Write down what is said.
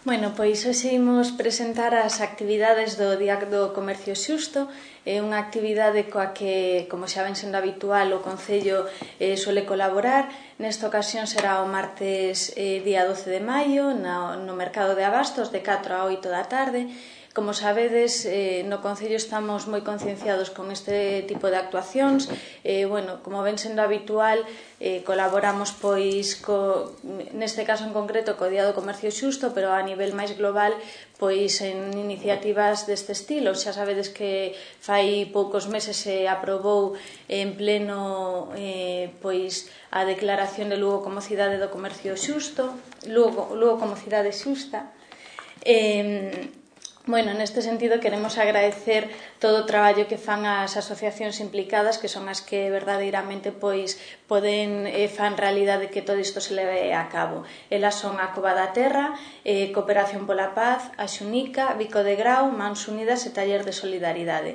Pois hoxe imos presentar as actividades do Día do Comercio Xusto. É unha actividade coa que, como xa ven sendo habitual, o Concello suele colaborar. Nesta ocasión será o martes día 12 de maio no Mercado de Abastos de 4 a 8 da tarde. Como sabedes, no Concello estamos moi concienciados con este tipo de actuacións. Como ven sendo habitual, colaboramos neste caso en concreto co Día do Comercio Xusto, pero a nivel máis global en iniciativas deste estilo. Xa sabedes que fai poucos meses se aprobou en pleno a declaración de Lugo como cidade do comercio xusto, Lugo como cidade xusta. Neste sentido queremos agradecer todo o traballo que fan as asociacións implicadas, que son as que verdadeiramente fan realidade que todo isto se leve a cabo. Elas son a Cova da Terra, Cooperación pola Paz, a Xunica, Bico de Grao, Mans Unidas e Taller de Solidaridade.